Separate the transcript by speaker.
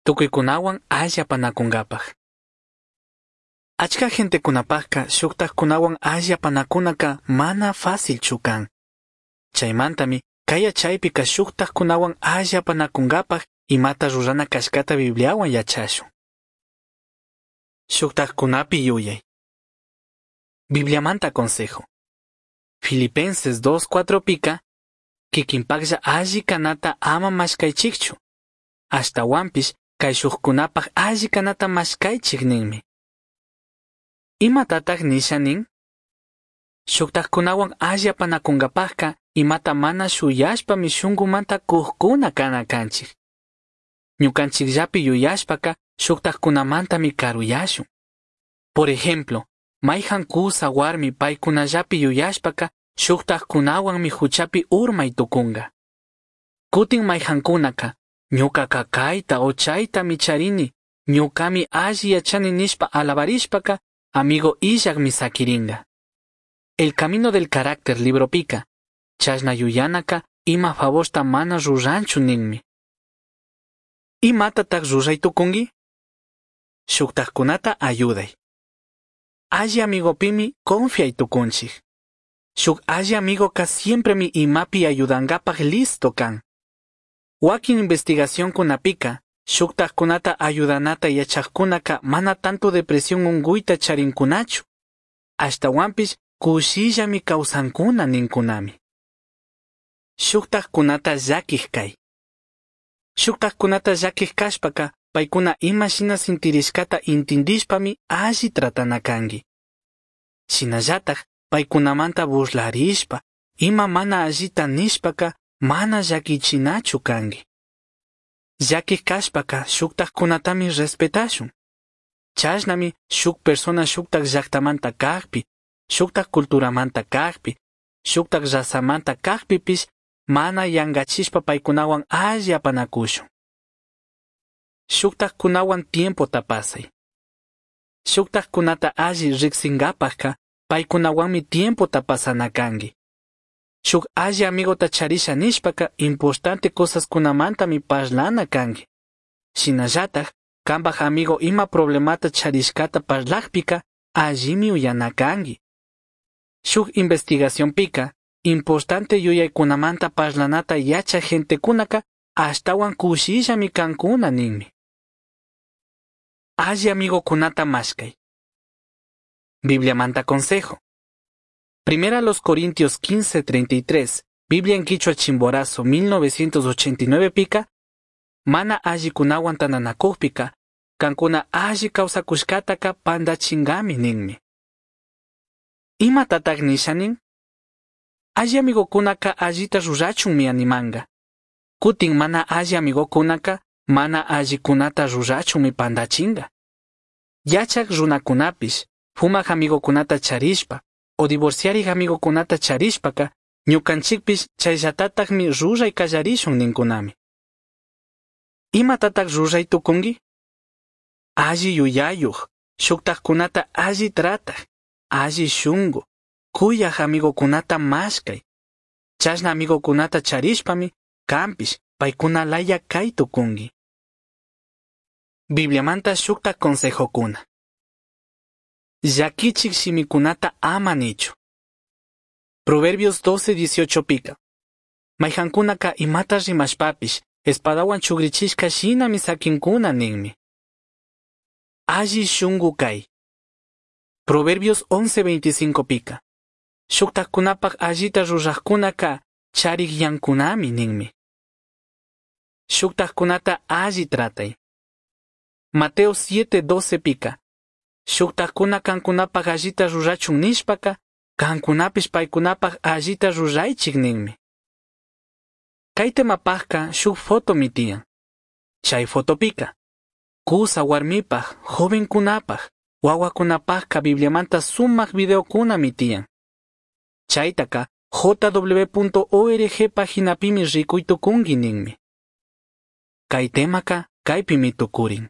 Speaker 1: Tucuicunahuan alli apanacungapaj. Achca gentecunapajca shujtajcunahuan alli apanacunaca mana fácilchu can. Chaimantami cai yachaipica shujtajcunahuan alli apanacungapaj imata rurana cashcata Bibliahuan yachashun. Shujtajcunapi yuyai. Bibliamanta consejo. Filipenses 2.4 pica, kikinpaklla alli kanata ama mashkaychikchu. Ashtahuanpish kayshujkunapaj alli kanata mashkaychik ninmi. Imatataq nisha nin? Shuktajkunawan alli apanakunkapajka imata mana shuyashpami shunkumanta kujkuna kana kanchik. Ñukanchikllapi yuyashpaka shuktajkunamantami karuyashun. Por ejemplo, mayhan kusa warmi paykunallapi yuyashpaka shuktajkunawanmi huchapi urmay tukunga. Kutin mayhankunaka ñukaka kayta o chaytami charini, ñukami alli yachani nishpa alabarishpaka amigo illakmi sakiringa. El camino del carácter libropika, chashna yuyanaka ima favorta mana ruranchu ninmi. Imatataq ruray tukunki? Shuktajkunata ayuday. Alli amigopimi confiay tukunchik. Shuk alli amigoka siempremi imapi ayudankapaj listo kan. Wakin investigacionkunapika, shuktajkunata ayudanata yachajkunaka mana tanto depresión unguyta charinkunachu. Ashtawanpish kushillami kawsankuna ninkunami. Shuktajkunata llakij kay. Shuktajkunata llakij kashpaka paykuna ima shina sintirishkata intindishpami alli tratana kanki. Shinallataj paykunamanta burlarishpa, ima mana allita nishpaka mana llakichinachu kanki. Llakij kashpaka shuktajkunatami respetashun. Chashnami shuk persona shuktaj llaktamanta kajpi, shuktaj culturamanta kajpi, shuktaj razamanta kajpipish mana yankachishpa paykunawan alli apanakushun. Shuktajkunawan tiempota pasay. Shuktajkunata alli riksinkapajka paykunawanmi tiempota pasana kanki. Shuk alli amigota charisha nishpaka importante cosaskunamantami parlana kanki. Shinallataj kanpaj amigo ima problemata charishkata parlajpika allimi uyana kanki. Shuk investigacionpika importante yuyaykunamanta parlanata yachaj gentekunaka ashtawan kushillami kankuna ninmi. Alli amigokunata mashkay. Bibliamanta consejo. Primera los Corintios 15:33, Biblia en Quichua Chimborazo 1989 pika, mana allikunawan tandanakujpika, kankuna alli kawsakushkataka pandachingami ninmi. Imatataq nisha nin? Alli amigokunaka allita rurachunmi animanga. Kutin mana alli amigokunaka mana allikunata rurachunmi pandachinga. Yachak runakunapish, fumaj amigokunata charishpa, o divorciarik amigokunata charishpaka, ñukanchikpish chayllatatakmi ruray kallarishun ninkunami. Imatataq ruray tukunki? Alli yuyayuq, shuktajkunata alli trataq, alli shunku, kuyaj amigokunata mashkay. Chashna amigokunata charishpami, kanpish paykuna laya kay tukunki. Bibliamanta shukta consejokuna. Llakichik shimikunata ama nichu. Proverbios 12:18 pika. Mayhankunaka imata rimashpapish, espadawan chugrichishka shinami sakinkuna ninmi. Alli shunku kay. Proverbios 11:25 pika. Shuktajkunapaj allita rurajkunaka charikyankunami ninmi. Shuktajkunata alli tratay. Mateo 7:12 pika. Shuktajkuna kankunapaj allita rurachun nishpaka, kankunapish paykunapaj allita ruraychik ninmi. Kay temapajka shuk fotomi tiyan. Chay fotopika. Kusa warmipaj, jovenkunapaj, wawakunapajka Bibliamanta sumak videokunami tiyan. Chaytaka jw.org paginapimi rikuy tukunki ninmi. Kay temaka kaypimi tukurin.